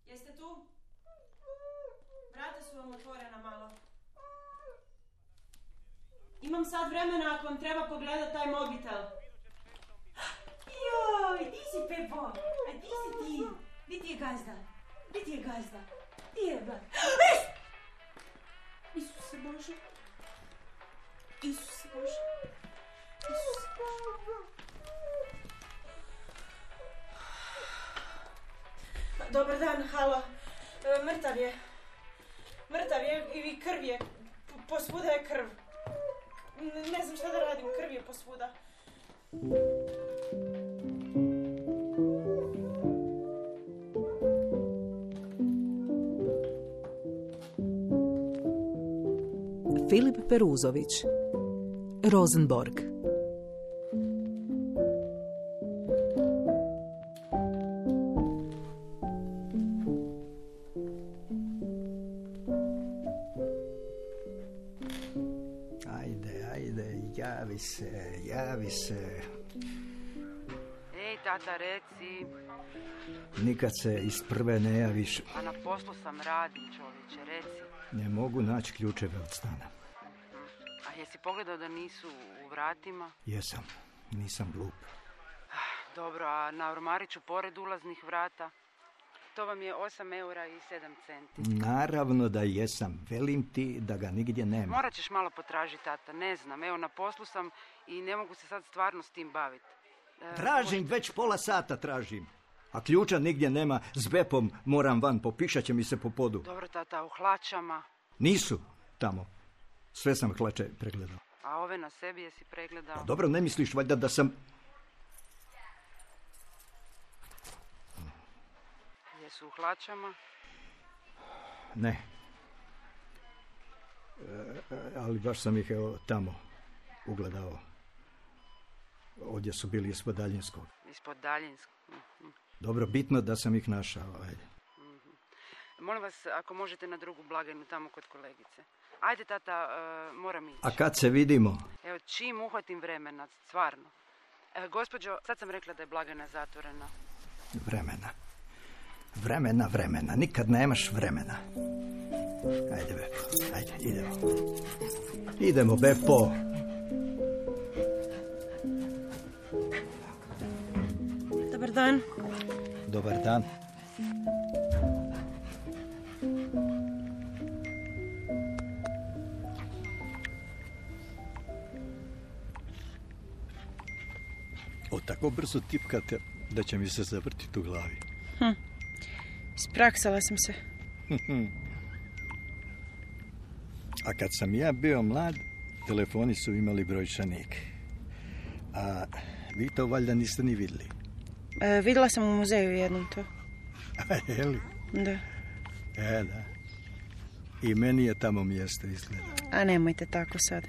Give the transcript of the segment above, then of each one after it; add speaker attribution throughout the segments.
Speaker 1: Jeste tu? Vrata su vam otvorena malo. Imam sad vremena ako vam treba pogledat taj mobitel. Joj, di si, Pepo? A di si ti? Di ti je gazda? Di ti je gazda? Di je gazda? Isuse Bože. Isuse Bože. Isuse Bože. Dobar dan, halo. Mrtav je. Mrtav je i krv je. Posvuda je krv. Ne znam šta da radim, krv je posvuda.
Speaker 2: Filip Peruzović, Rosenborg.
Speaker 3: Javi se.
Speaker 4: Ej, tata, reci.
Speaker 3: Nikad se iz prve ne javiš.
Speaker 4: A na poslu sam, radim, čovječe, reci.
Speaker 3: Ne mogu naći ključeve od stana.
Speaker 4: A jesi pogledao da nisu u vratima?
Speaker 3: Jesam, nisam glup.
Speaker 4: Dobro, a na ormariću pored ulaznih vrata? To vam je 8 eura i 7 centi.
Speaker 3: Naravno da jesam. Velim ti da ga nigdje nema.
Speaker 4: Morat ćeš malo potražiti, tata. Ne znam. Evo, na poslu sam i ne mogu se sad stvarno s tim baviti.
Speaker 3: Tražim, već pola sata tražim. A ključa nigdje nema. S Bepom moram van. Popišat će mi se po podu.
Speaker 4: Dobro, tata, u hlačama?
Speaker 3: Nisu tamo. Sve sam hlače pregledao.
Speaker 4: A ove na sebi jesi pregledao?
Speaker 3: A dobro, ne misliš valjda da sam...
Speaker 4: Jesu u hlačama?
Speaker 3: Ne. Ali baš sam ih evo tamo ugledao. Ovdje su bili ispod Daljinskog.
Speaker 4: Ispod Daljinskog?
Speaker 3: Dobro, bitno da sam ih našao. Ajde.
Speaker 4: Molim vas, ako možete na drugu blagajnu tamo kod kolegice. Ajde, tata, moram ići.
Speaker 3: A kad se vidimo?
Speaker 4: Evo, čim uhvatim vremena, stvarno. Gospođo, sad sam rekla da je blagajna zatvorena.
Speaker 3: Vremena. Nikad nemaš vremena. Ajde, Bepo. Ajde, idemo. Idemo, Bepo.
Speaker 1: Dobar dan.
Speaker 3: Dobar dan. O, tako brzo tipkate da će mi se zavrtiti u glavi.
Speaker 1: Spraksala sam se.
Speaker 3: A kad sam ja bio mlad, telefoni su imali brojčanik. A vi to valjda niste ni vidjeli.
Speaker 1: Vidjela sam u muzeju jednom to.
Speaker 3: A je li?
Speaker 1: Da.
Speaker 3: Da. I meni je tamo mjesto izgleda.
Speaker 1: A nemojte tako sad.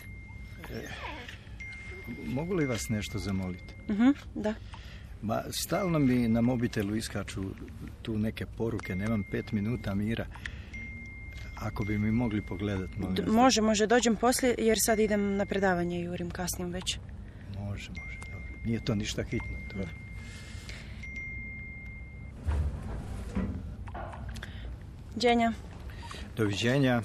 Speaker 3: Mogu li vas nešto zamoliti?
Speaker 1: Da.
Speaker 3: Ma, stalno mi na mobitelu iskaču tu neke poruke, nemam 5 minuta mira. Ako bi mi mogli pogledati, molim vas.
Speaker 1: Može, dođem poslije jer sad idem na predavanje i jurim, kasnim već.
Speaker 3: Može, dobro. Nije to ništa hitno, to.
Speaker 1: Đenja.
Speaker 3: Doviđenja.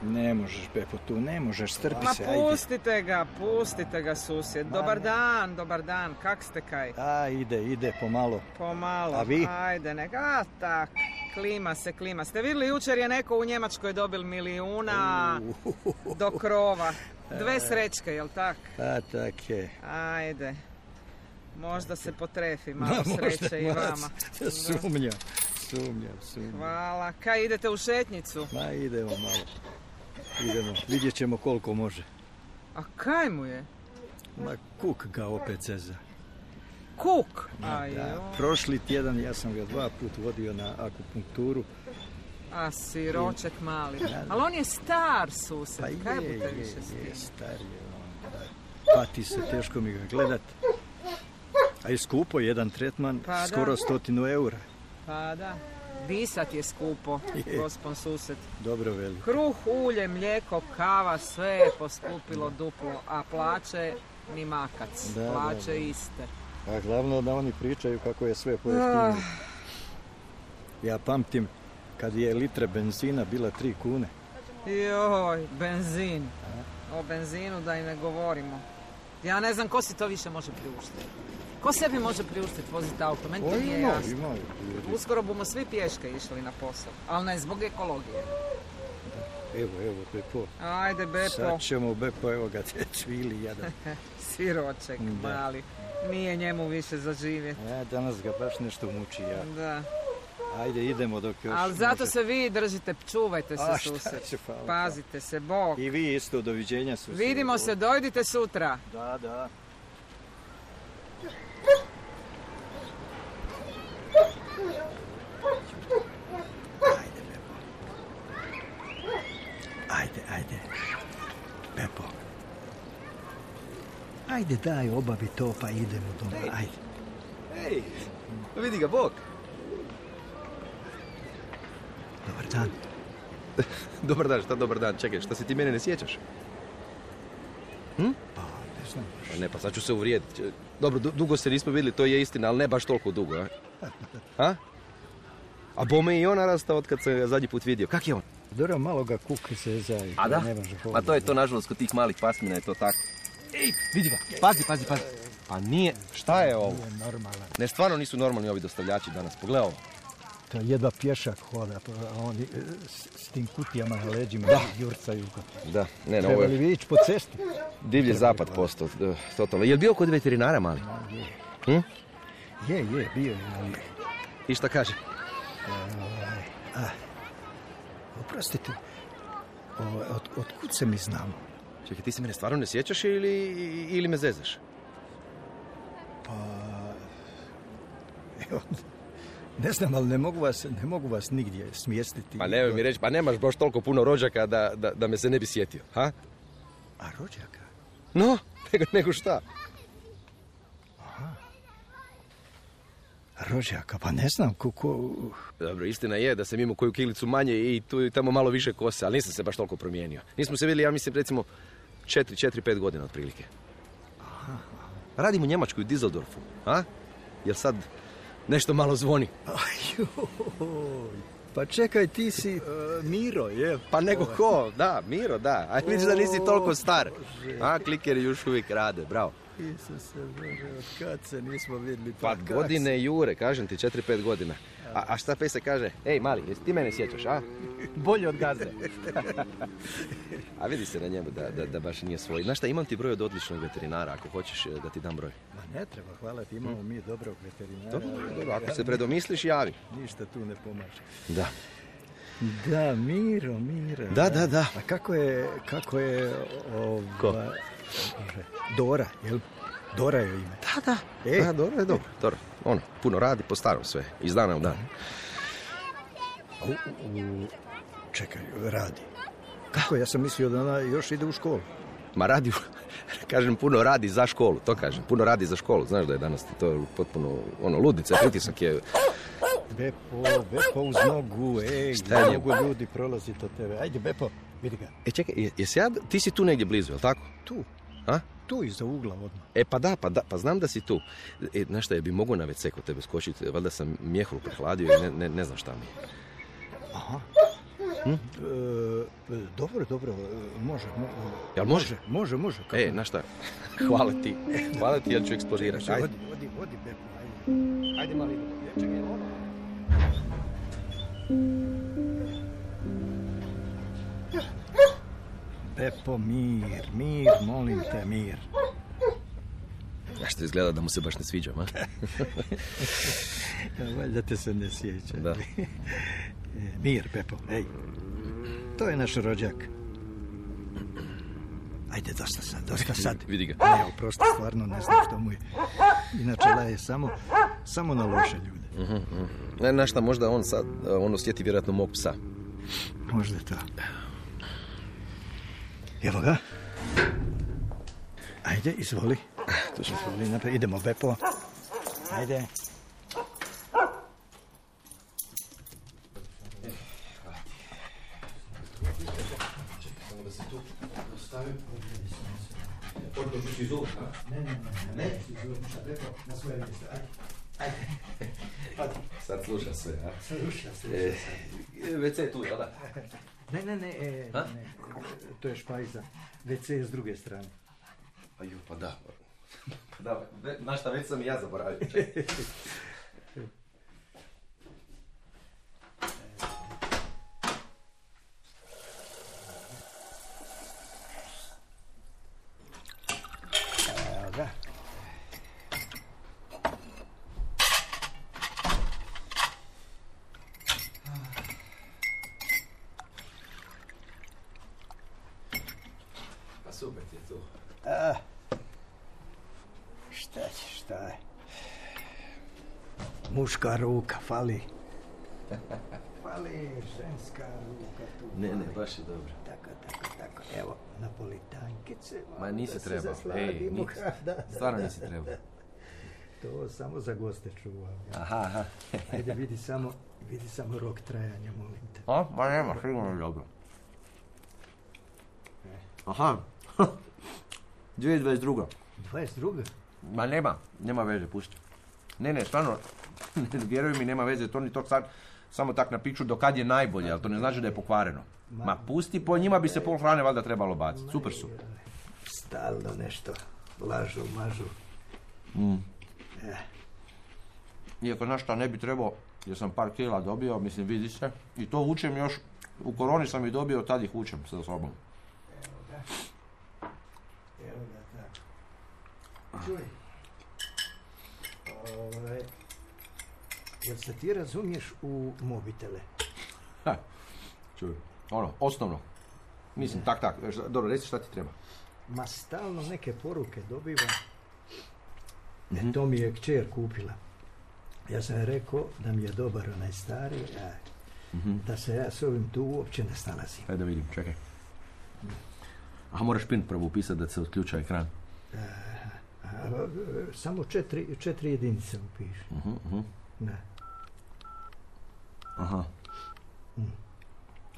Speaker 3: Ne možeš, Bepo, tu ne možeš, strpi se, ajde.
Speaker 5: Pustite ga, susjed. Dobar dan, kak ste kaj?
Speaker 3: Ide, pomalo.
Speaker 5: Pomalo,
Speaker 3: a vi?
Speaker 5: Ajde, neka, tak, klima. Ste vidjeli, jučer je neko u Njemačkoj dobil milijuna do krova. 2 srećke, jel tak?
Speaker 3: A, tak je.
Speaker 5: Ajde, možda se potrefi malo sreće i vama.
Speaker 3: Sumnjam.
Speaker 5: Hvala, kaj idete u šetnicu?
Speaker 3: Ma, idemo malo. Vidjet ćemo koliko može.
Speaker 5: A kaj mu je?
Speaker 3: Ma, kuk ga opet zeza.
Speaker 5: Kuk?
Speaker 3: Prošli tjedan ja sam ga 2 puta vodio na akupunkturu.
Speaker 5: A siroček mali. Ali on je star, sused.
Speaker 3: Pa
Speaker 5: kaj bute više s tim?
Speaker 3: Je, star je on. Pati se, teško mi ga gledat. A je skupo, jedan tretman, skoro 100 eura.
Speaker 5: Pa da. Disat je skupo, gospon sused.
Speaker 3: Dobro veli.
Speaker 5: Kruh, ulje, mlijeko, kava, sve je poskupilo duplo, a plaće ni makac. Plaće iste.
Speaker 3: A glavno da oni pričaju kako je sve pojeftinilo. Ja pamtim kad je litre benzina bila 3 kune.
Speaker 5: Joj, benzin. O benzinu da i ne govorimo. Ja ne znam ko si to više može priuštiti. Ko sebi može priuštiti voziti auto? Meni to nije jasno. Uskoro bomo svi pješke išli na posao, ali ne zbog ekologije.
Speaker 3: Evo, Bepo.
Speaker 5: Ajde, Bepo.
Speaker 3: Sad ćemo, Bepo, evo ga, te cvili jadan.
Speaker 5: Siroček, mali. Nije njemu više za živjeti.
Speaker 3: Danas ga baš nešto muči, ja.
Speaker 5: Da.
Speaker 3: Ajde, idemo dok još...
Speaker 5: Ali zato se vi držite, čuvajte se, sused. Pazite se, Bog.
Speaker 3: I vi isto, doviđenja, sused.
Speaker 5: Vidimo se, dojdite sutra.
Speaker 3: Da. Ajde. Bepo. Ajde, daj, obavi to, pa idemo doma, ajde.
Speaker 6: Ej, vidi ga, Bog.
Speaker 3: Dobar dan.
Speaker 6: Dobar dan, šta dobar dan? Čekaj, šta se ti mene ne sjećaš?
Speaker 3: Pa, ne znam.
Speaker 6: Ne, pa sad ću se uvrijediti. Dobro, dugo se nismo vidjeli, to je istina, ali ne baš toliko dugo, a? A bome i on narastao od kad sam ga zadnji put vidio. Kak je on?
Speaker 3: Dobro, malo ga kuki se zajedno.
Speaker 6: A da? Pa to je to, nažalost, kod tih malih pasmina je to tako. Ej, vidi ga, pazi. Pa nije, šta je ovo?
Speaker 3: Nije normalan.
Speaker 6: Ne, stvarno nisu normalni ovi dostavljači danas, pogledaj ovo.
Speaker 3: To jedva pješak hoda, a oni s tim kutijama na leđima jurcaju.
Speaker 6: Da, ne, ovo
Speaker 3: Trebali vi ići po cesti?
Speaker 6: Divlji zapad postao, totalno. Je li bio kod veterinara, mali?
Speaker 3: Je, bio je, ali...
Speaker 6: I šta kaže?
Speaker 3: Oprostite, otkud se mi znamo?
Speaker 6: Čekaj, ti se mene stvarno ne sjećaš ili me zezaš?
Speaker 3: Pa... Evo, ne znam, ali ne mogu vas nigdje smjestiti.
Speaker 6: Pa nemoj mi reći, pa nemaš baš toliko puno rođaka da me se ne bi sjetio, ha?
Speaker 3: A rođaka?
Speaker 6: No, nego šta?
Speaker 3: Aha. Rođaka, pa ne znam kako...
Speaker 6: Dobro, istina je da sam imao koju kilicu manje i tu i tamo malo više kose, ali nisam se baš toliko promijenio. Nismo se vidjeli, ja mislim, recimo 4-5 godina otprilike.
Speaker 3: Aha.
Speaker 6: Radim u Njemačkoj, u Düsseldorfu, a? Jel sad nešto malo zvoni?
Speaker 3: Pa čekaj, ti si Miro, je?
Speaker 6: Pa nego ko, da, Miro, da. A vidiš da nisi toliko star. A, klikeri još uvijek rade, bravo.
Speaker 3: Isuse Bože, od kad se nismo vidjeli?
Speaker 6: Pa godine jure, kažem ti, 4-5 godina. A šta pe se kaže? Ej, mali, jesi ti mene sjećaš, a? Bolje od gazde. A vidi se na njemu da baš nije svoj. Znaš šta, imam ti broj od odličnog veterinara, ako hoćeš da ti dam broj.
Speaker 3: Ma ne treba, hvala ti, imamo mi dobrog veterinara.
Speaker 6: Dobro, ako se predomisliš, javi.
Speaker 3: Ništa tu ne pomaže.
Speaker 6: Da.
Speaker 3: Da, Miro.
Speaker 6: Da.
Speaker 3: A kako je
Speaker 6: Ko?
Speaker 3: Dora, jel? Dora je ime.
Speaker 6: Da. Da, Dora je dobro. Ono, puno radi po starom sve, iz dana u dan.
Speaker 3: Čekaj, radi. Kako? Ja sam mislio da ona još ide u školu.
Speaker 6: Ma radi, kažem, puno radi za školu, to kažem. Puno radi za školu, znaš da je danas to potpuno, ludnica, pritisak je... Bepo
Speaker 3: uz nogu, mnogo ljudi prolazi to tebe. Ajde, Bepo, vidi ga.
Speaker 6: Čekaj, ti si tu negdje blizu, je li tako?
Speaker 3: Tu.
Speaker 6: A?
Speaker 3: Tu iza ugla odmah.
Speaker 6: Pa znam da si tu. Znaš šta, bi mogu na WC kod tebe skočiti, valjda sam mjehuru prehladio i ne znam šta mi je.
Speaker 3: Aha. Dobro, može.
Speaker 6: Jel može?
Speaker 3: Može.
Speaker 6: Znaš šta, hvala ti, jer ću eksplodirati.
Speaker 3: Odi, Bepo, ajde. Ajde, mali, čekaj, ono. Bepo, mir, molim te, mir.
Speaker 6: Ja što izgleda da mu se baš ne sviđam, a?
Speaker 3: Valjda te se ne sjeća.
Speaker 6: Da.
Speaker 3: Mir, Bepo, ej. To je naš rođak. Ajde, dosta sad.
Speaker 6: Vidi ga.
Speaker 3: Ne, oprosti, stvarno ne znam što mu je. Inače, laje samo na loše ljude.
Speaker 6: Znaš šta, možda on sad, osjeti vjerojatno mog psa.
Speaker 3: Možda to. Evo ga. Ajde, izvoli. Izvoli naprijed. Idemo, Bepo. Ajde.
Speaker 6: se tu ostavim. Odnošu si zub, a? Ne.
Speaker 3: Sad rekao na svoje mjesto. Ajde.
Speaker 6: Sad sluša sve, a?
Speaker 3: Sluša.
Speaker 6: WC je tu, jel da?
Speaker 3: Ne. To je špajza. WC je s druge strane.
Speaker 6: Aju, pa da. Znaš šta, već sam i ja zaboravio.
Speaker 3: Da.
Speaker 6: Pa super ti je tu.
Speaker 3: Šta je? Muška ruka, fali. Fali ženska ruka tu.
Speaker 6: Ne, baš je dobro.
Speaker 3: Tako. Evo, napolitankice.
Speaker 6: Ma nisi trebao. Ej, stvarno nisi trebao.
Speaker 3: To samo za goste čuvam.
Speaker 6: Aha.
Speaker 3: Ajde, vidi samo rok trajanja, molim te.
Speaker 6: Ma nema, sigurno je dobro. Aha. 2022.
Speaker 3: 22.
Speaker 6: Ma nema veze, pusti. Ne, stvarno, vjeruj mi, nema veze, to ni to sad, samo tak napiču do kad je najbolje, ali to ne znači da je pokvareno. Ma pusti, po njima bi se pol hrane valjda trebalo baciti, super su.
Speaker 3: Stalno nešto, lažu, mažu.
Speaker 6: Iako, znaš šta, ne bi trebao, jer sam par kila dobio, mislim, vidi se, i to učem još, u koroni sam ih dobio, tad ih učem sa sobom.
Speaker 3: Evo ga, tako. Čuj, jel se ti razumiješ u mobitele?
Speaker 6: Čuj, osnovno. Mislim, tak. Dobro, reci šta ti treba.
Speaker 3: Ma stalno neke poruke dobivam. To mi je kćer kupila. Ja sam rekao da mi je dobar onaj stari, da se ja s ovim tu uopće ne snalazim.
Speaker 6: Ajde da vidim, čekaj. Aha, moraš pin prvo upisati da se otključa ekran.
Speaker 3: Samo 4 jedinice upiši. Ne.
Speaker 6: Aha.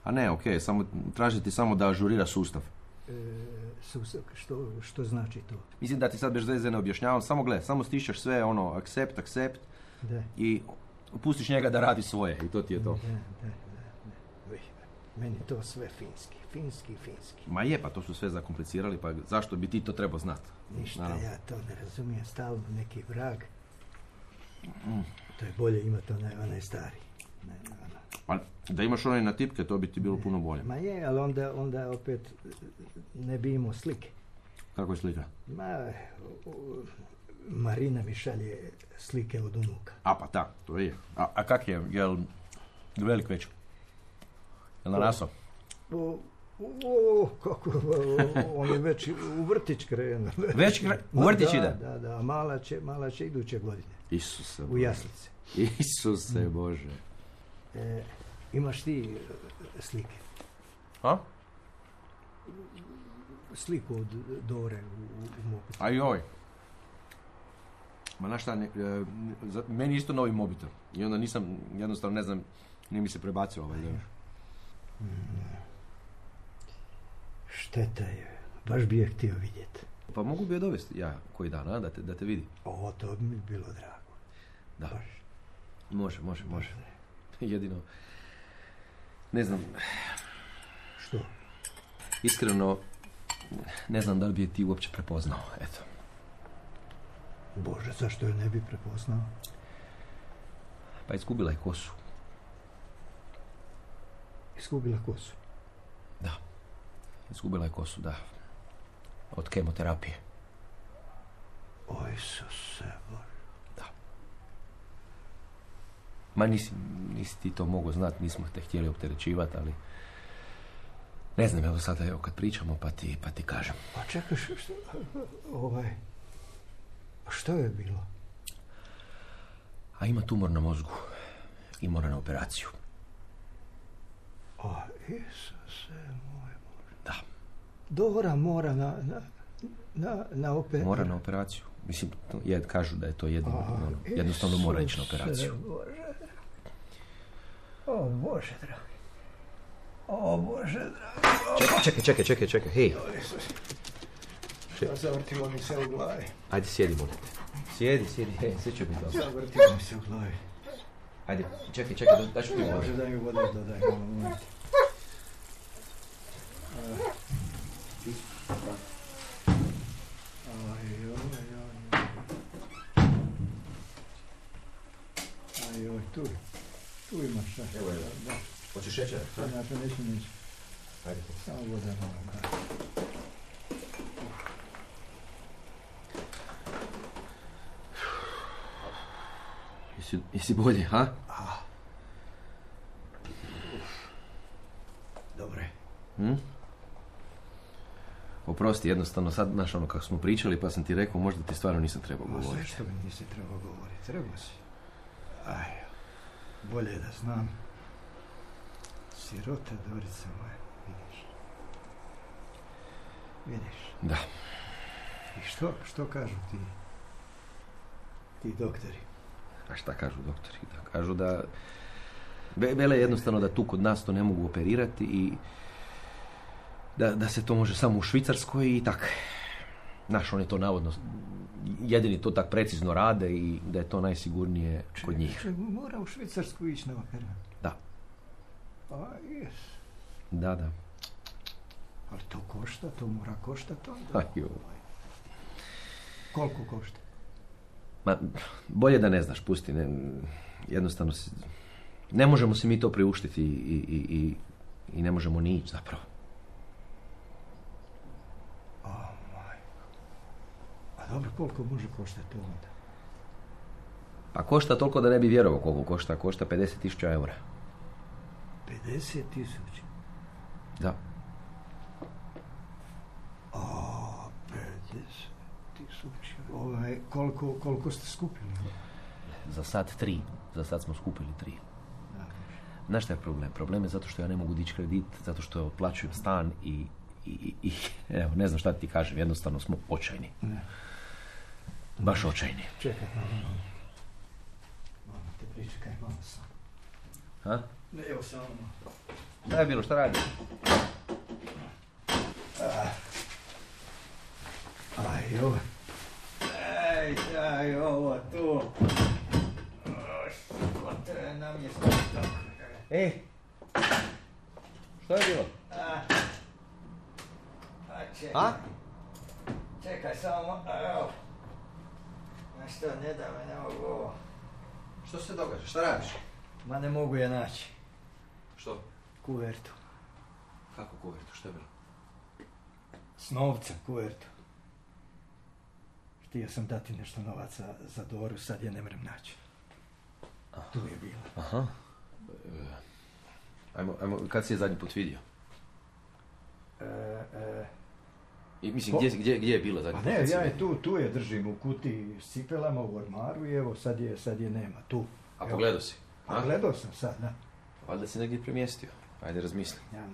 Speaker 6: A ne, okej, tražiti samo da ažurira sustav.
Speaker 3: Sustav, što znači to?
Speaker 6: Mislim da ti sad bez veze ne objašnjavam, samo stišćeš sve accept
Speaker 3: da.
Speaker 6: I pustiš njega da radi svoje i to ti je to.
Speaker 3: Da. Meni to sve finski.
Speaker 6: Ma je, pa to su sve zakomplicirali, pa zašto bi ti to trebao znati?
Speaker 3: Ništa, naravno. Ja to ne razumijem, stalno neki vrag. To je bolje imati onaj stari.
Speaker 6: Pa da imaš onaj na tipke, to bi ti bilo puno bolje.
Speaker 3: Ma je, ali onda opet ne bi imao slike.
Speaker 6: Kako je slika?
Speaker 3: Marina mi šalje slike od unuka.
Speaker 6: A pa tak, to je. A kak je, jel velik već? Jel narasao?
Speaker 3: Kako, on je već u vrtić krenuo.
Speaker 6: U vrtić ide?
Speaker 3: Da, mala će iduće godine.
Speaker 6: Isuse
Speaker 3: u jaslice.
Speaker 6: Isuse Bože.
Speaker 3: Imaš ti slike?
Speaker 6: A?
Speaker 3: Sliku od Dore u mobitel.
Speaker 6: Ajoj. Ma znaš šta, meni isto novi mobitel. I onda nisam, jednostavno ne znam, nije mi se prebacio ovaj deo.
Speaker 3: Šteta je, baš bi je htio vidjeti.
Speaker 6: Pa mogu bi je dovesti ja koji dan, a, da te vidi.
Speaker 3: To bi mi bilo drago.
Speaker 6: Da.
Speaker 3: Baš.
Speaker 6: Može. Jedino, ne znam.
Speaker 3: Što?
Speaker 6: Iskreno, ne znam da li bi je ti uopće prepoznao, eto.
Speaker 3: Bože, zašto je ne bi prepoznao?
Speaker 6: Pa izgubila je kosu.
Speaker 3: Izgubila kosu?
Speaker 6: Da. Izgubila je kosu, da. Od kemoterapije.
Speaker 3: O Isuse Bože.
Speaker 6: Da. Ma nisi ti to mogao znati, nismo te htjeli opterećivati, ali... Ne znam, evo sada, kad pričamo, pa ti kažem.
Speaker 3: Pa čekaj, što je bilo?
Speaker 6: A ima tumor na mozgu i mora na operaciju.
Speaker 3: O, Isuse moj Bože.
Speaker 6: Da.
Speaker 3: Dora mora na operaciju.
Speaker 6: Mora na operaciju. Mislim, kažu da je to jednostavno mora ići na operaciju.
Speaker 3: Bože. O, Bože, dragi. O Bože, dragi.
Speaker 6: Čekaj, hej.
Speaker 3: Zavrtilo mi se u glavi.
Speaker 6: Ajde, sjedi, molim te. Sjedi, hej, sve će biti dobro.
Speaker 3: Zavrtilo mi se u glavi.
Speaker 6: Ajde, čekaj, daću ti
Speaker 3: Može da mi vode dodaj, molim te. Ajoj, tu imaš šta.
Speaker 6: Evo. Hoćeš šećer?
Speaker 3: Neću.
Speaker 6: Ajde.
Speaker 3: Samo voda moram da.
Speaker 6: Jesi bolje, ha?
Speaker 3: Dobre.
Speaker 6: Oprosti, jednostavno sad, znaš ono kako smo pričali, pa sam ti rekao, možda ti stvarno nisam trebao govoriti.
Speaker 3: Zašto mi nisi trebao govoriti? Trebao si. Bolje je da znam. Sirota, Dorica moja, vidiš.
Speaker 6: Da.
Speaker 3: I što kažu ti doktori?
Speaker 6: A šta kažu doktori? Da kažu da... Vele jednostavno da tu kod nas to ne mogu operirati i da se to može samo u Švicarskoj i tak. Znaš, oni to navodno jedini to tak precizno rade i da je to najsigurnije kod njih.
Speaker 3: Mora u Švicarsku ići na operaciju?
Speaker 6: Da.
Speaker 3: Jes.
Speaker 6: Da.
Speaker 3: Ali to košta, to mora koštati onda.
Speaker 6: Ajoj.
Speaker 3: Koliko košta?
Speaker 6: Ma, bolje da ne znaš, pusti. Jednostavno ne možemo si mi to priuštiti i ne možemo ni ići zapravo.
Speaker 3: A dobro, koliko može koštati onda?
Speaker 6: Pa košta toliko da ne bi vjerovao koliko košta. Košta 50.000 eura.
Speaker 3: 50.000?
Speaker 6: Da.
Speaker 3: 50.000. Koliko ste skupili?
Speaker 6: Za sad 3. Za sad smo skupili 3. Znaš šta je problem? Problem je zato što ja ne mogu dići kredit, zato što otplaćujem stan i evo, ne znam šta ti kažem, jednostavno smo očajni.
Speaker 3: Ne.
Speaker 6: Baš očajni.
Speaker 3: Čekaj, malo te pričekaj, malo sam.
Speaker 6: Ha?
Speaker 3: Ne, evo samo.
Speaker 6: Šta je bilo, šta radi?
Speaker 3: Aj, ovo tu. Što te nam je tako?
Speaker 6: Ej! Što je bilo?
Speaker 3: Čekaj. Čekaj samo, evo. Što, ne da me, ne mogu ovo.
Speaker 6: Što se događa? Šta radiš?
Speaker 3: Ma ne mogu je naći.
Speaker 6: Što?
Speaker 3: Kuvertu.
Speaker 6: Kako kuvertu? Što je bilo?
Speaker 3: S novcem kuvertu. Htio sam dati nešto novaca za Doru, sad je ne mrem naći. Tu je bila.
Speaker 6: Aha. Ajmo, kad si je zadnji put vidio? I mislim, gdje je bila zadnji put?
Speaker 3: Pa ne, ja je tu je držim u kutiji s cipelama u ormaru i evo sad je nema, tu.
Speaker 6: A pogledao si?
Speaker 3: A gledao sam sad, da.
Speaker 6: Valjda si negdje premjestio. Ajde, razmisli.
Speaker 3: Ja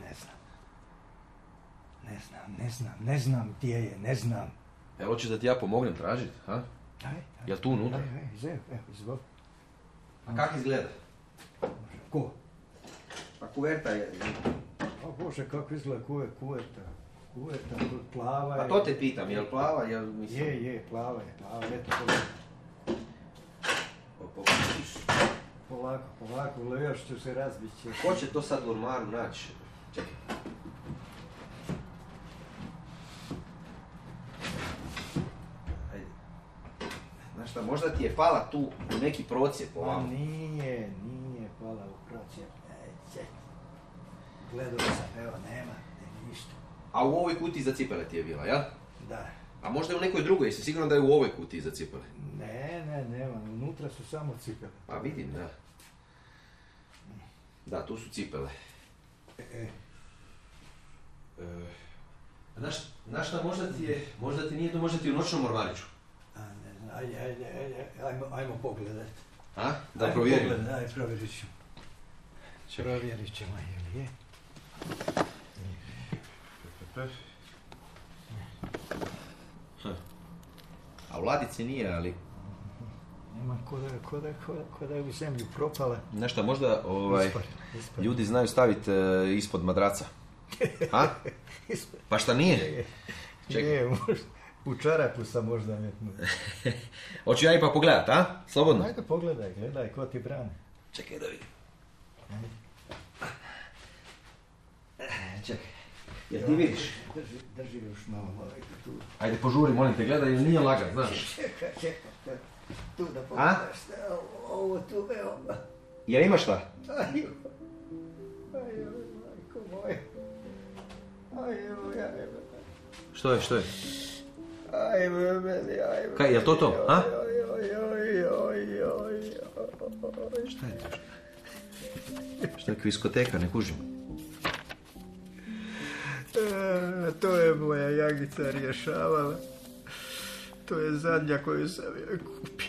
Speaker 3: ne znam gdje je, ne znam.
Speaker 6: Evo, hoćeš da ti ja pomognem tražiti, ha?
Speaker 3: Aj.
Speaker 6: Jel tu unutra?
Speaker 3: Izvoli.
Speaker 6: A kak izgleda?
Speaker 3: Ko?
Speaker 6: Pa kuverta je...
Speaker 3: O Bože, kako izgleda kuverta? Kuverta, plava je...
Speaker 6: A to te pitam, jel plava, jel mislim...
Speaker 3: Je, plava je, eto pogledaj. Polako, još ću se razbiti.
Speaker 6: Ko će to sad u ormaru naći? Čekaj. Ajde. Znaš šta, možda ti je pala tu u neki procijep ovamo.
Speaker 3: Nije pala u procijep. Gledao sam, evo, nema ništa.
Speaker 6: A u ovoj kutiji za cipele ti je bila, jel?
Speaker 3: Da.
Speaker 6: A možda je u nekoj drugoj, jesi sigurno da je u ovoj kutiji za cipele?
Speaker 3: Nema, unutra su samo cipele.
Speaker 6: Pa vidim, da. Da, tu su cipele. Znaš šta, možda ti nije to, možda ti u noćnom ormariću.
Speaker 3: Ne znam, ajmo pogledat.
Speaker 6: A? Da provjerim.
Speaker 3: Ajde, provjerit ću. Provjerit ćemo, je li je?
Speaker 6: A u ladici nije, ali...
Speaker 3: Nema ko da je u zemlju propala.
Speaker 6: Znaš šta, možda ljudi znaju staviti ispod madraca. A? Pa šta nije?
Speaker 3: Čekaj. U čarapu sam možda metnu.
Speaker 6: Hoću ja ipak pogledat, a? Slobodno.
Speaker 3: Ajde pogledaj, gledaj ko ti brani.
Speaker 6: Čekaj da vidim. Čekaj. Jel ti vidiš?
Speaker 3: Drži još malo tu.
Speaker 6: Ajde požuri, molim te, gledaj, jer nije lagan, znaš.
Speaker 3: Čekaj. Tu da pogledaš. Ovo tu, evo.
Speaker 6: Jel ima šta?
Speaker 3: Aj, majko moja.
Speaker 6: Što je?
Speaker 3: Aj, meni.
Speaker 6: Kaj, jel to, a?
Speaker 3: Šta je to?
Speaker 6: Šta je kviskoteka, ne kužim.
Speaker 3: To je moja Jagica rješavala. To je zadnja koju sam joj kupio.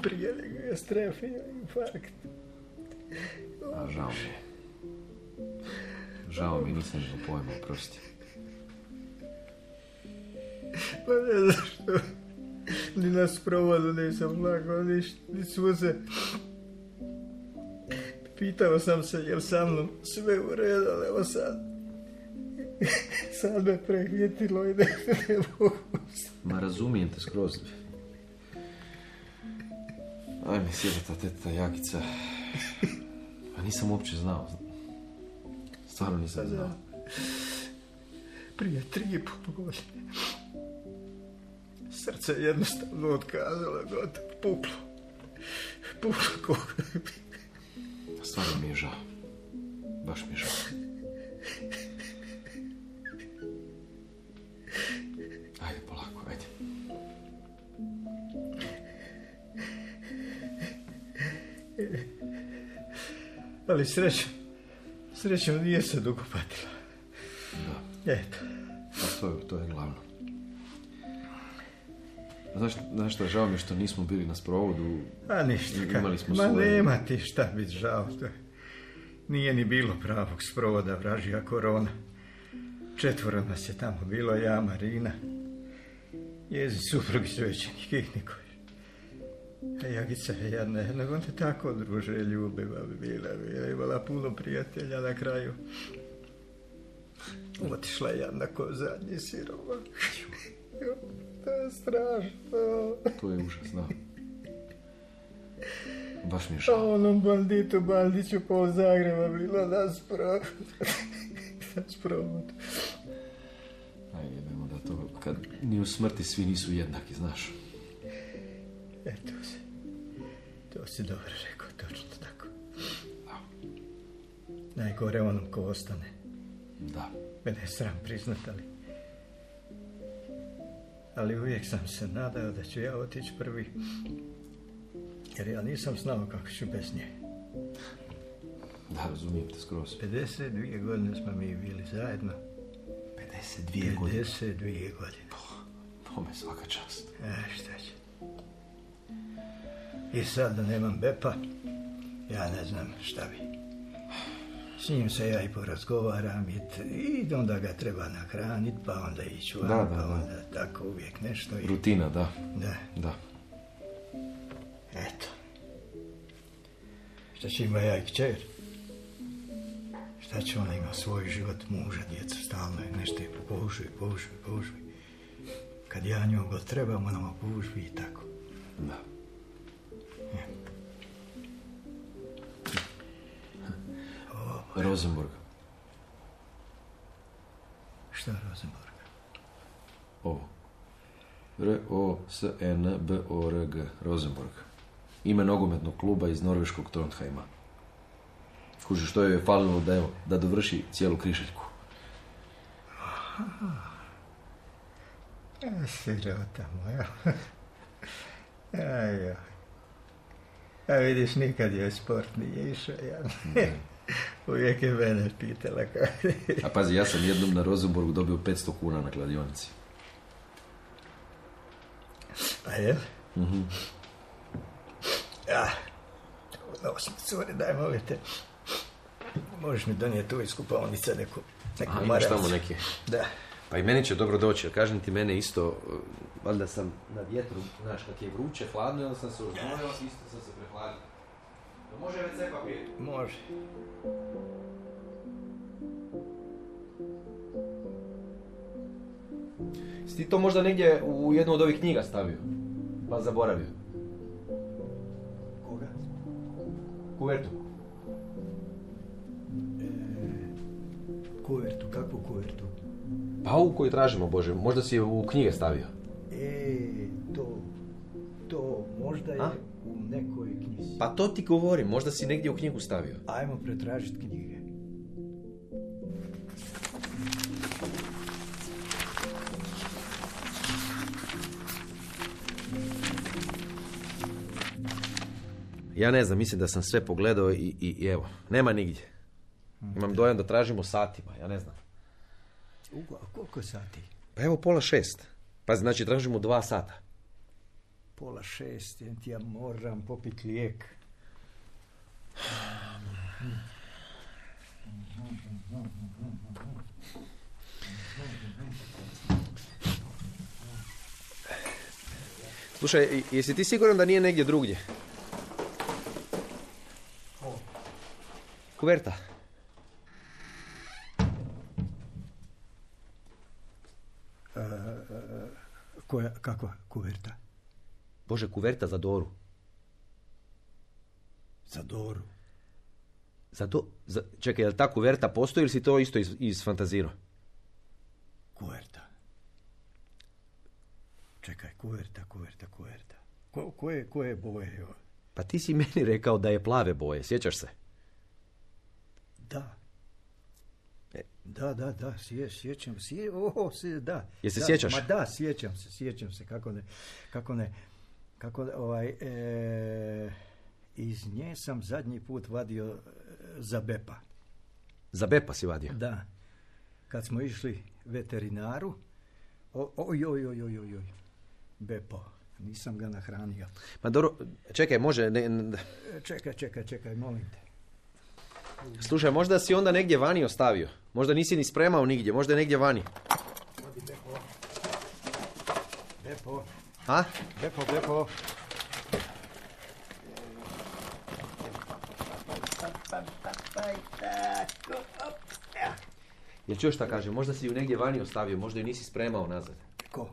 Speaker 3: Prije nego je strefio infarkt.
Speaker 6: A žao mi je. Žao mi, nisam imao pojma, oprosti.
Speaker 3: Pa ne znam što. Ni na sprovodu nisam lagao, ni suze. Pitao sam se jel sa mnom sve u redu, ali evo sad me prehitilo i ne mogu.
Speaker 6: Ma razumijem te skroz. Aj mi sjeda ta teta Jagica. Pa nisam uopće znao. Stvarno nisam znao.
Speaker 3: Prije 3,5 godine. Srce jednostavno otkazalo, gotovo, puklo.
Speaker 6: Stvarno mi je žao. Baš mi je žao. Ajde, polako, ajde.
Speaker 3: Ali srećom nije se dugo patila.
Speaker 6: Da.
Speaker 3: Eto.
Speaker 6: To je glavno. Znaš šta, žao mi je što nismo bili na sprovodu.
Speaker 3: A ništa.
Speaker 6: Imali smo
Speaker 3: Ma
Speaker 6: svoje...
Speaker 3: nema ti šta biti žao. Nije ni bilo pravog sprovoda, vražija korona. 4 nas je tamo bilo, ja, Marina. Njezi suprug i svećenik i niko. A Jagica je jedna, nego on te tako druže ljubiva bi bila. Imala puno prijatelja na kraju. Otišla je jedna ko zadnji sirova. To je strašno. To
Speaker 6: je užasno. Baš mi je žao.
Speaker 3: A onom banditu Bandiću pol Zagreba bilo na sprovod.
Speaker 6: Ajde, idemo da to, kad ni u smrti svi nisu jednaki, znaš.
Speaker 3: To si dobro rekao, točno tako. Da. Najgore onom ko ostane.
Speaker 6: Da.
Speaker 3: Mene je sram priznat, ali uvijek sam se nadao da ću ja otići prvi. Jer ja nisam znao kako ću bez nje.
Speaker 6: Da, razumijem te skroz.
Speaker 3: 52 godine smo mi bili zajedno.
Speaker 6: 52 godine?
Speaker 3: 52 godine.
Speaker 6: To me svaka čast.
Speaker 3: Šta će. I sad da nemam Bepa, ja ne znam šta bi. S njim se ja i porazgovaram i onda ga treba nahraniti, pa onda ići van, pa onda tako uvijek nešto.
Speaker 6: Rutina, da.
Speaker 3: Da. Eto. Šta će ima ja i kćer? Šta će ona ima svoj život, muža, djeca, stalno je nešto požuj. Kad ja nju god trebam, ona mu požuj i tako.
Speaker 6: Da. Rosenborg.
Speaker 3: Šta Rosenborg?
Speaker 6: Ovo. R-O-S-N-B-O-R-G. Rosenborg. Ime nogometnog kluba iz norveškog Trondheima. Kuži, što joj je falilo da dovrši cijelu križaljku.
Speaker 3: Sirota moja. A vidiš, nikad joj sport nije išao. Uvijek je mene pitala kako.
Speaker 6: A pazi, ja sam jednom na Rosenborgu dobio 500 kuna na kladionici.
Speaker 3: A je?
Speaker 6: Mhm.
Speaker 3: Ja. Cure, daj, molim te. Možeš mi donijeti tu iz kupovnice neku
Speaker 6: imaš
Speaker 3: marelcu.
Speaker 6: tamo neke?
Speaker 3: Da.
Speaker 6: Pa i meni će dobro doći, jer kažem ti, mene isto, valjda sam na vjetru, znaš, kak je vruće, hladno, onda sam se uzmojio, isto sam se prehladio. Može WC papir?
Speaker 3: Može.
Speaker 6: Si ti to možda negdje u jednu od ovih knjiga stavio? Pa zaboravio?
Speaker 3: Koga?
Speaker 6: Kuvertu.
Speaker 3: Kuvertu, kakvu kuvertu?
Speaker 6: Pa ovu koju tražimo, Bože, možda si je u knjige stavio.
Speaker 3: To možda je u nekoj knjizi.
Speaker 6: Pa to ti govorim, možda si negdje u knjigu stavio.
Speaker 3: Ajmo pretražiti knjige.
Speaker 6: Ja ne znam, mislim da sam sve pogledao i evo, nema nigdje. Imam dojam da tražimo satima, ja ne znam.
Speaker 3: A koliko sati?
Speaker 6: Pa evo 5:30. Pa znači tražimo 2 sata.
Speaker 3: 5:30, ja moram popiti lijek.
Speaker 6: Slušaj, jesi ti siguran da nije negdje drugdje? Kuverta.
Speaker 3: Kakva kuverta?
Speaker 6: Bože, kuverta za Doru.
Speaker 3: Za Doru?
Speaker 6: Čekaj, je li ta kuverta postoji ili si to isto isfantazirao?
Speaker 3: Kuverta. Čekaj, kuverta. Koje boje?
Speaker 6: Pa ti si meni rekao da je plave boje, sjećaš se?
Speaker 3: Da. Da, sjećam se. Da.
Speaker 6: Jesi se sjećaš?
Speaker 3: Ma da, sjećam se. Kako iz nje sam zadnji put vadio za Bepa.
Speaker 6: Za Bepa si vadio?
Speaker 3: Da. Kad smo išli veterinaru, oj. Bepo, nisam ga nahranio.
Speaker 6: Ma dobro, čekaj, može...
Speaker 3: Čekaj, molim te.
Speaker 6: Slušaj, možda si onda negdje vani ostavio. Možda nisi ni spremao nigdje, možda je negdje vani.
Speaker 3: Odi Bepo.
Speaker 6: A?
Speaker 3: Bepo.
Speaker 6: Jel čuješ šta kaže? Možda si ju negdje vani ostavio, možda ju nisi spremao nazad.
Speaker 3: Ko?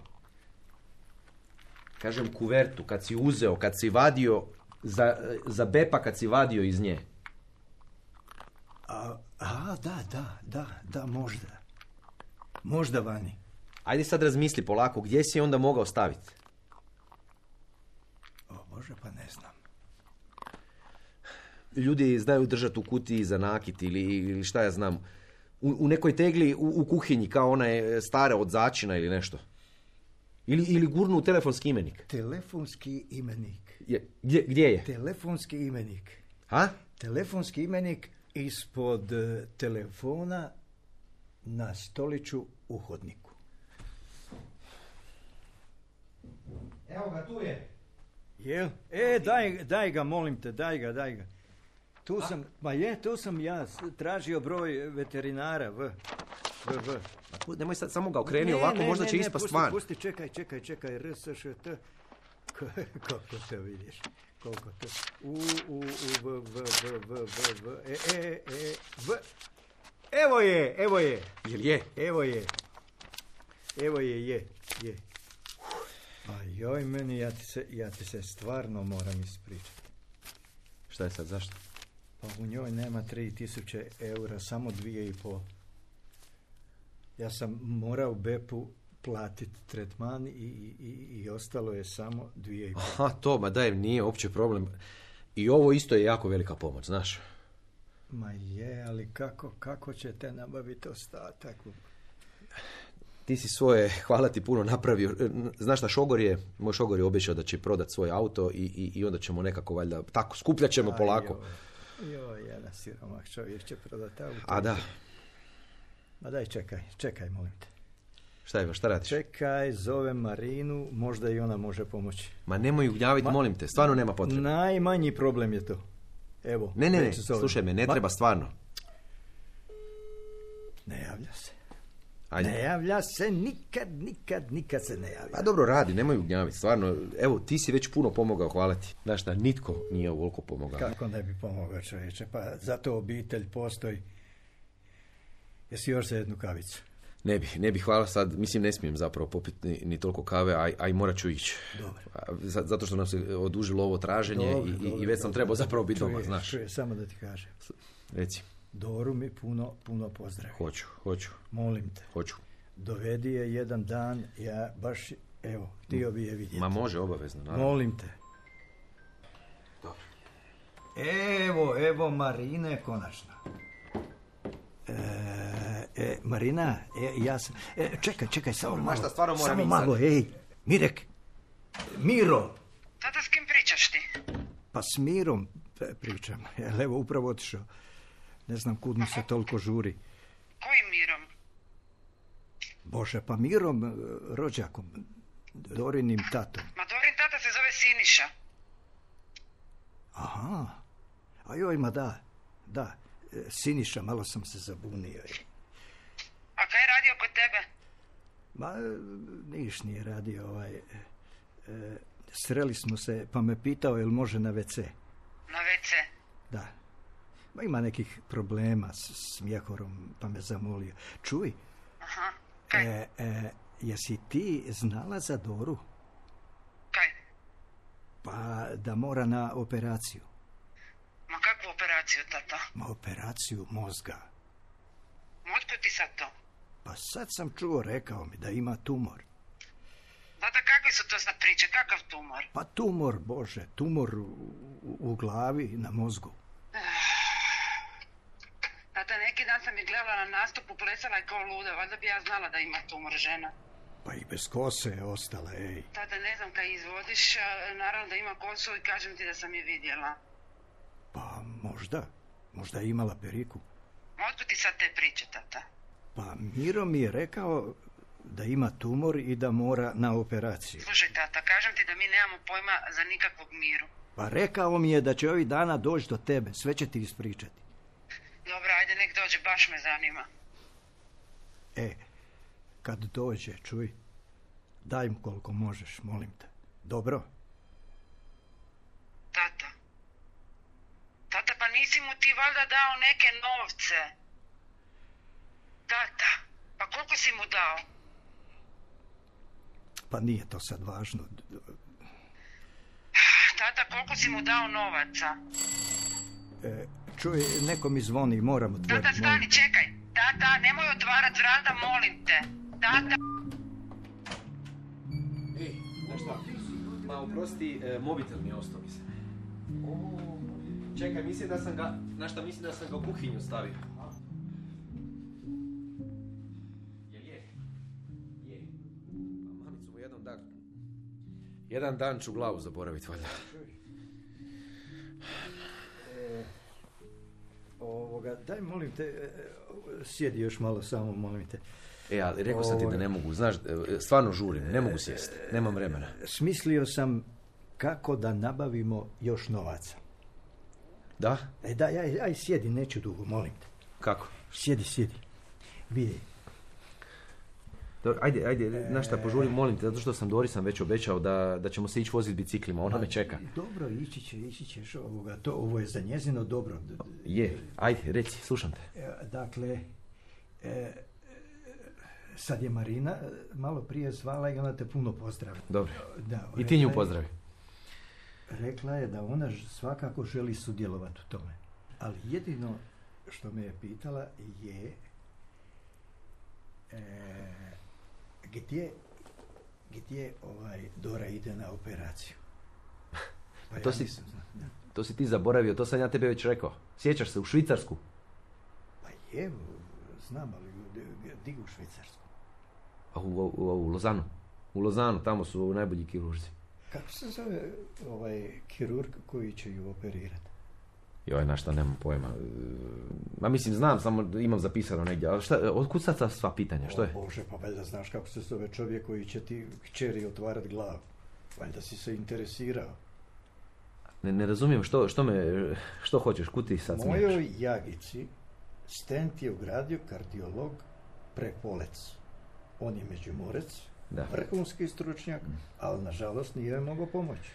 Speaker 6: Kažem kuvertu, kad si uzeo, kad si vadio za Bepa, kad si vadio iz nje. Da, možda. Možda vani. Ajde sad razmisli polako, gdje si onda mogao staviti?
Speaker 3: O Bože, pa ne znam.
Speaker 6: Ljudi znaju držati u kutiji za nakit ili šta ja znam. U nekoj tegli u kuhinji, kao ona je stara od začina ili nešto. Ili gurnu u telefonski imenik.
Speaker 3: Telefonski imenik.
Speaker 6: Gdje je?
Speaker 3: Telefonski imenik.
Speaker 6: Ha?
Speaker 3: Telefonski imenik ispod telefona na stoliću u hodniku. Evo ga, tu je. Jel? Daj ga, molim te, daj ga. Tu sam ja tražio broj veterinara, V.
Speaker 6: Nemoj sad, samo ga okreni ovako, možda će ispast van.
Speaker 3: Pusti, čekaj, RSŠT. Koliko to vidiš? Koliko to? V. Evo je.
Speaker 6: Jel je?
Speaker 3: Evo je. A joj, meni, ja ti se stvarno moram ispričati.
Speaker 6: Šta je sad, zašto?
Speaker 3: Pa u njoj nema 3000 eura, samo 2,5. Ja sam morao Bepu platiti tretman i ostalo je samo 2,5.
Speaker 6: Aha, to, ma daj, nije uopće problem. I ovo isto je jako velika pomoć, znaš.
Speaker 3: Ma je, ali kako ćete nabaviti ostatak?
Speaker 6: Ti si svoje, hvala ti puno, napravio. Znaš šta, moj šogor je obećao da će prodati svoj auto i onda ćemo nekako valjda, tako, skupljat ćemo polako.
Speaker 3: Joj, jedan siromah čovjek će prodati auto.
Speaker 6: A da.
Speaker 3: Ma daj, čekaj, molim te.
Speaker 6: Šta radiš?
Speaker 3: Čekaj, zovem Marinu, možda i ona može pomoći.
Speaker 6: Ma nemoj ju gnjaviti, molim te, stvarno nema potrebe.
Speaker 3: Najmanji problem je to. Evo.
Speaker 6: Ne, slušaj me, ne treba stvarno.
Speaker 3: Ne javlja se.
Speaker 6: Ajde.
Speaker 3: Ne javlja se, nikad se ne javlja.
Speaker 6: Pa dobro radi, nemoj ugnjaviti, stvarno. Evo, ti si već puno pomogao, hvala ti. Znaš da nitko nije ovoliko pomogao.
Speaker 3: Kako ne bi pomogao, čovječe? Pa zato obitelj postoji. Jesi još za jednu kavicu?
Speaker 6: Ne bi, hvala sad. Mislim, ne smijem zapravo popiti ni toliko kave, a i morat ću ići.
Speaker 3: Dobro.
Speaker 6: Zato što nam se odužilo ovo traženje i već sam trebao zapravo biti doma, znaš.
Speaker 3: Čuje, samo da ti kažem.
Speaker 6: Reci.
Speaker 3: Doru mi puno pozdravi.
Speaker 6: Hoću.
Speaker 3: Molim te.
Speaker 6: Hoću.
Speaker 3: Dovedi je jedan dan, ja baš, evo, htio bi je vidjeti.
Speaker 6: Ma može, obavezno, naravno.
Speaker 3: Molim te.
Speaker 6: Dobro.
Speaker 3: Evo Marine, konačno. Marina, ja sam... čekaj, samo malo.
Speaker 6: Mašta, stvarno moram
Speaker 3: samo
Speaker 6: ići
Speaker 3: malo,
Speaker 6: sad.
Speaker 3: Mirek. Miro.
Speaker 4: Tata, s kim pričaš ti?
Speaker 3: Pa s Mirom pričam. Evo, upravo otišao. Ne znam kud mu se toliko žuri.
Speaker 4: Kojim Mirom?
Speaker 3: Bože, pa Mirom, rođakom, Dorinim tatom.
Speaker 4: Ma Dorin tata se zove Siniša.
Speaker 3: Aha, a joj, ma da, Siniša, malo sam se zabunio.
Speaker 4: A kaj je radio kod tebe?
Speaker 3: Ma, niš nije radio, sreli smo se, pa me pitao jel može na WC.
Speaker 4: Na WC?
Speaker 3: Da. Ma ima nekih problema s mjehorom, pa me zamolio. Čuj.
Speaker 4: Aha, kaj?
Speaker 3: Jesi ti znala za Doru?
Speaker 4: Kaj?
Speaker 3: Pa da mora na operaciju.
Speaker 4: Ma kakvu operaciju, tata?
Speaker 3: Ma operaciju mozga.
Speaker 4: Otkud ti sad to?
Speaker 3: Pa sad sam čuo, rekao mi da ima tumor.
Speaker 4: Tata, kakve su to sad priče? Kakav tumor?
Speaker 3: Pa tumor, Bože, tumor u glavi, na mozgu.
Speaker 4: Tata, neki dan sam je gledala na nastupu, plesala je kao luda, valjda bi ja znala da ima tumor žena.
Speaker 3: Pa i bez kose je ostala, ej.
Speaker 4: Tata, ne znam kaj izvodiš, naravno da ima kosu i kažem ti da sam je vidjela.
Speaker 3: Pa možda je imala periku.
Speaker 4: Otkud ti sad te priče, tata?
Speaker 3: Pa Miro mi je rekao da ima tumor i da mora na operaciju.
Speaker 4: Slušaj, tata, kažem ti da mi nemamo pojma za nikakvog Miru.
Speaker 3: Pa rekao mi je da će ovih dana doći do tebe, sve će ti ispričati.
Speaker 4: Dobro, ajde, nek dođe, baš me zanima.
Speaker 3: Kad dođe, čuj, daj mu koliko možeš, molim te. Dobro?
Speaker 4: Tata, pa nisi mu ti valjda dao neke novce? Tata, pa koliko si mu dao?
Speaker 3: Pa nije to sad važno.
Speaker 4: Tata, koliko si mu dao novaca?
Speaker 3: Čuj, neko mi zvoni, moram otvoriti.
Speaker 4: Tata, stani, čekaj. Tata, nemoj otvarat vrata, molim te. Tata.
Speaker 6: Znaš šta? Ma, oprosti, mobitel mi je ostao, mislim. Čekaj, mislim da sam ga u kuhinju stavio. Je. Mamicu mu jedan dan ću glavu zaboraviti, valjda.
Speaker 3: Daj, molim te, sjedi još malo samo, molim te.
Speaker 6: Ali rekao sam ti da ne mogu, znaš, stvarno žurim, ne mogu sjesti, nemam vremena.
Speaker 3: Smislio sam kako da nabavimo još novaca.
Speaker 6: Da?
Speaker 3: Aj, sjedi, neću dugo, molim te.
Speaker 6: Kako?
Speaker 3: Sjedi. Vidi.
Speaker 6: Dobro, ajde, znaš šta, požurim, molim te, zato što sam Dorisam već obećao da ćemo se ići voziti biciklima, ona me čeka.
Speaker 3: Dobro, ići ćeš ovo je za njezino dobro.
Speaker 6: Je, ajde, reci, slušam te.
Speaker 3: Dakle, sad je Marina malo prije zvala i ona te puno pozdravi.
Speaker 6: Dobro, i ti nju pozdravi.
Speaker 3: Rekla je da ona svakako želi sudjelovati u tome. Ali jedino što me je pitala je gdje Dora ide na operaciju. Pa
Speaker 6: to si ti zaboravio, to sam ja tebe već rekao. Sjećaš se, u Švicarsku?
Speaker 3: Pa je, znam, ali di u Švicarsku?
Speaker 6: U Lozanu. U Lozanu, tamo su najbolji kirurzi.
Speaker 3: Kako se zove kirurg koji će ju operirati?
Speaker 6: Joj, na šta, nemam pojma. Ma mislim, znam, samo imam zapisano negdje. Ali šta, otkud sad sva pitanja, što je?
Speaker 3: Bože, pa valjda znaš kako se zove čovjek koji će ti kćeri otvarat glavu. Valjda si se interesirao.
Speaker 6: Ne razumijem, što hoćeš, kud ti sad smiješ?
Speaker 3: Mojoj Jagici stent je ugradio kardiolog Prepolec. On je Međimurec,
Speaker 6: Da.
Speaker 3: vrhunski stručnjak, ali nažalost nije joj mogao pomoći.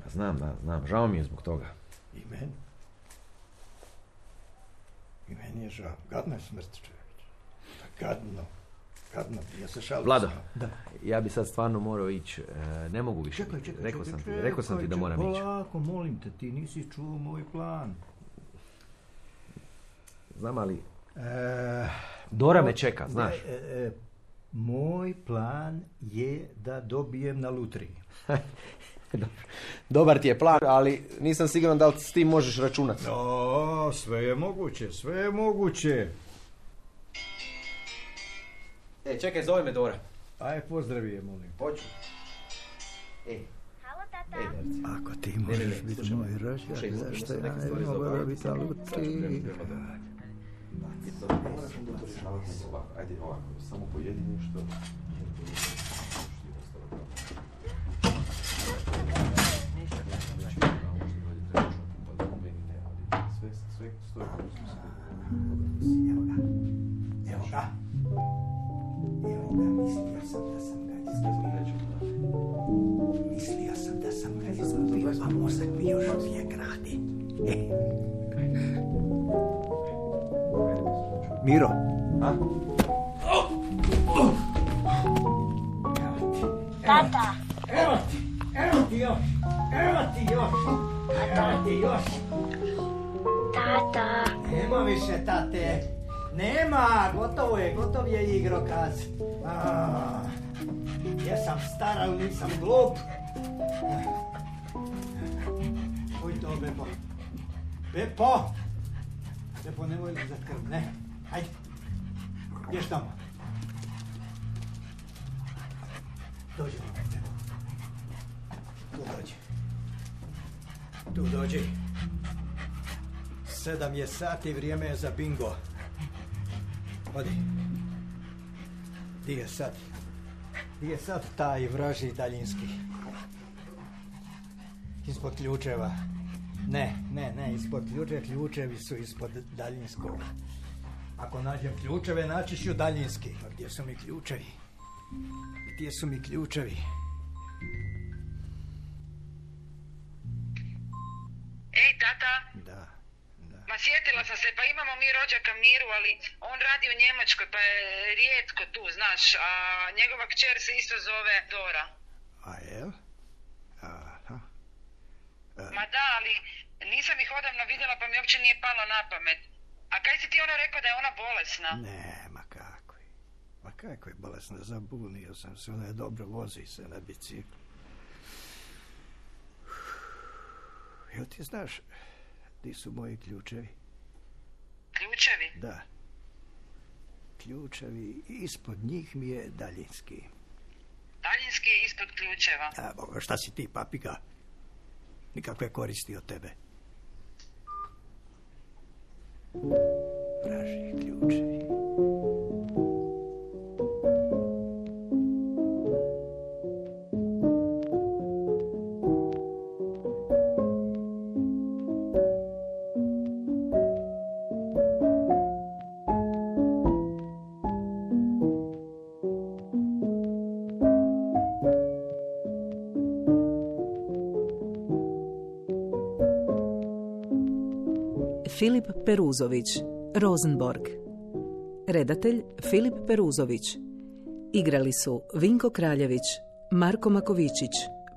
Speaker 6: Znam, žao mi je zbog toga.
Speaker 3: I meni. I meni je žao. Gadno je smrt, čovječ. Gadno. Ja se šalim.
Speaker 6: Vlado,
Speaker 3: Da.
Speaker 6: ja bi sad stvarno morao ići. Ne mogu više. Rekao sam ti da moram ići.
Speaker 3: Polako, molim te, ti nisi čuo moj plan.
Speaker 6: Znam, ali Dora me čeka, znaš.
Speaker 3: Moj plan je da dobijem na lutriji.
Speaker 6: Dobar ti je plan, ali nisam siguran da li s tim možeš računati.
Speaker 3: No, sve je moguće.
Speaker 6: Čekaj, zove me Dora.
Speaker 3: Aj, pozdravi je, molim.
Speaker 6: Hoću.
Speaker 7: Halo, tata.
Speaker 3: Ako ti možeš biti moj rođak, zašto ja ne bi mogla dobiti na lutriji?
Speaker 6: Ajde ovako, samo pojedini što...
Speaker 3: Evo ga, mislio sam da sam ga izgubio, a mozak mi još uvijek radi. Miro. A?
Speaker 7: Tata.
Speaker 3: Evo ti još.
Speaker 7: Tata.
Speaker 3: Nema više tate. Nema, gotov je igrokaz. Ja sam star, ali nisam glup. Uj to, Bepo, nemoj za krv, ne. Hajde, ješ tamo. Dođi, Bepo. Tu dođi. 7 je sati, vrijeme je za bingo. Odi. Di je sad taj vražji daljinski? Ispod ključeva. Ne, ispod ključevi su ispod daljinskog. Ako nađem ključeve, naći ću daljinski. A gdje su mi ključevi?
Speaker 4: Ej, tata.
Speaker 3: Da.
Speaker 4: Ma sjetila sam se, pa imamo mi rođaka Miru, ali on radi u Njemačkoj, pa je rijetko tu, znaš, a njegova kćer se isto zove Dora.
Speaker 3: A jel? Aha.
Speaker 4: Ma da, ali nisam ih odavno vidjela, pa mi uopće nije palo na pamet. A kaj si ti ono rekao da je ona bolesna?
Speaker 3: Ne, ma kako je bolesna, zabunio sam se, ona je dobro, vozi se na biciklu. Jel ti znaš, di su moji ključevi?
Speaker 4: Ključevi?
Speaker 3: Da. Ključevi, ispod njih mi je daljinski.
Speaker 4: Daljinski je ispod ključeva.
Speaker 3: A, Boga, šta si ti, papiga? Nikakve koristi od tebe. Vražji ključevi.
Speaker 2: Filip Peruzović, Rosenborg. Redatelj Filip Peruzović. Igrali su Vinko Kraljević, Marko Makovičić,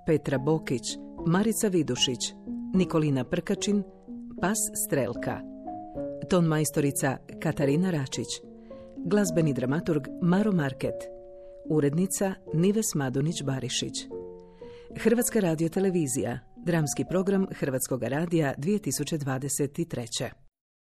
Speaker 2: Petra Bokić, Marica Vidušić, Nikolina Prkačin, Pas Strelka. Ton majstorica Katarina Račić. Glazbeni dramaturg Maro Market. Urednica Nives Madonić-Barišić. Hrvatska radiotelevizija. Dramski program Hrvatskog radija 2023.